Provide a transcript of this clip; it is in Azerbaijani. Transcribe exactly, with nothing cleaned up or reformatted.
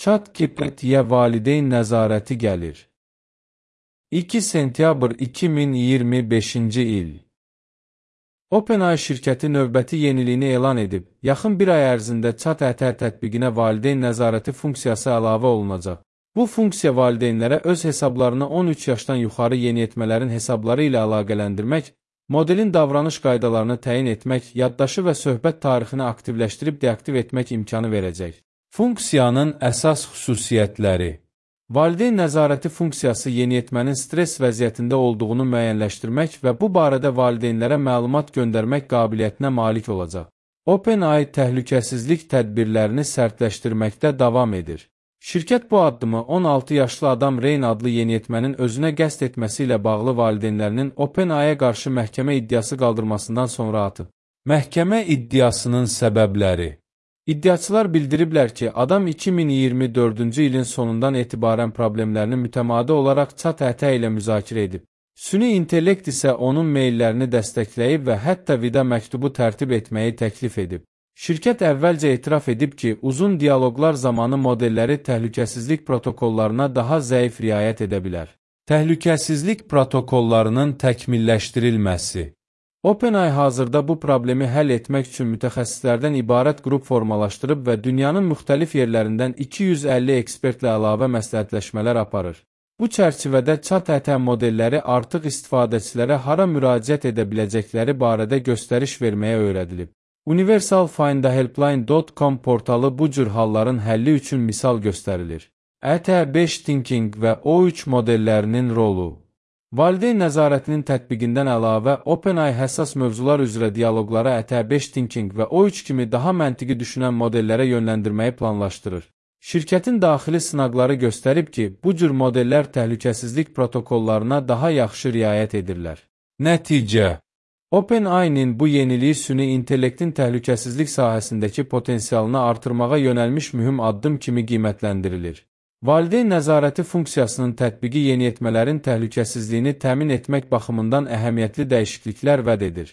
ChatGPT-yə valideyn nəzarəti gəlir. iki sentyabr iki min iyirmi beşinci il. OpenAI şirkəti növbəti yeniliyini elan edib. Yaxın bir ay ərzində ChatGPT tətbiqinə valideyn nəzarəti funksiyası əlavə olunacaq. Bu funksiya valideynlərə öz hesablarını on üç yaşdan yuxarı yeniyetmələrin hesabları ilə əlaqələndirmək, modelin davranış qaydalarını təyin etmək, yaddaşı və söhbət tarixini aktivləşdirib deaktiv etmək imkanı verəcək. Funksiyanın əsas xüsusiyyətləri. Valideyn nəzarəti funksiyası yeniyetmənin stres vəziyyətində olduğunu müəyyənləşdirmək və bu barədə valideynlərə məlumat göndərmək qabiliyyətinə malik olacaq. OpenAI təhlükəsizlik tədbirlərini sərtləşdirməkdə davam edir. Şirkət bu addımı on altı yaşlı adam Reyn adlı yeniyetmənin özünə qəsd etməsi ilə bağlı valideynlərinin OpenAI-yə qarşı məhkəmə iddiası qaldırmasından sonra atıb. Məhkəmə iddiasının səbəbləri. İddiaçılar bildiriblər ki, adam iki min iyirmi dördüncü ilin sonundan etibarən problemlərini mütəmadi olaraq ChatGPT ilə müzakirə edib. Süni intellekt isə onun meyllərini dəstəkləyib və hətta vida məktubu tərtib etməyi təklif edib. Şirkət əvvəlcə etiraf edib ki, uzun dialoqlar zamanı modelləri təhlükəsizlik protokollarına daha zəif riayət edə bilər. Təhlükəsizlik protokollarının təkmilləşdirilməsi. OpenAI hazırda bu problemi həll etmək üçün mütəxəssislərdən ibarət qrup formalaşdırıb və dünyanın müxtəlif yerlərindən iki yüz əlli ekspertlə əlavə məsləhətləşmələr aparır. Bu çərçivədə ChatGPT modelləri artıq istifadəçilərə hara müraciət edə biləcəkləri barədə göstəriş verməyə öyrədilib. Universal Find A Helpline dot com portalı bu cür halların həlli üçün misal göstərilir. E T beş Thinking və O üç modellərinin rolu. Valideyn nəzarətinin tətbiqindən əlavə, OpenAI həssas mövzular üzrə dialoqlara E T beş Thinking və O üç kimi daha məntiqi düşünən modellərə yönləndirməyi planlaşdırır. Şirkətin daxili sınaqları göstərib ki, bu cür modellər təhlükəsizlik protokollarına daha yaxşı riayət edirlər. Nəticə. OpenAI-nin bu yeniliyi süni intellektin təhlükəsizlik sahəsindəki potensialını artırmağa yönəlmiş mühüm addım kimi qiymətləndirilir. Valideyn nəzarəti funksiyasının tətbiqi yeniyetmələrin təhlükəsizliyini təmin etmək baxımından əhəmiyyətli dəyişikliklər vəd edir.